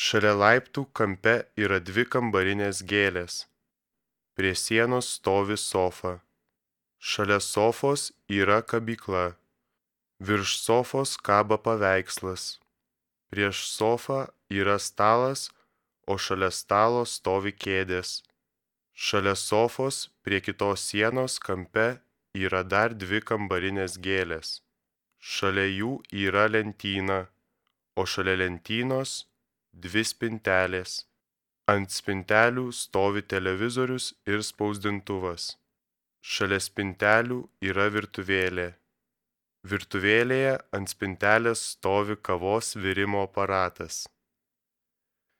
Šalia laiptų kampe yra 2 kambarinės gėlės. Prie sienos stovi sofa. Šalia sofos yra kabykla. Virš sofos kaba paveikslas. Prieš sofą yra stalas, o šalia stalo stovi kėdės. Šalia sofos prie kitos sienos kampe yra dar 2 kambarinės gėlės. Šalia jų yra lentyna, o šalia lentynos 2 spintelės. Ant spintelių stovi televizorius ir spausdintuvas. Šalia spintelių yra virtuvėlė. Virtuvėlėje ant spintelės stovi kavos virimo aparatas.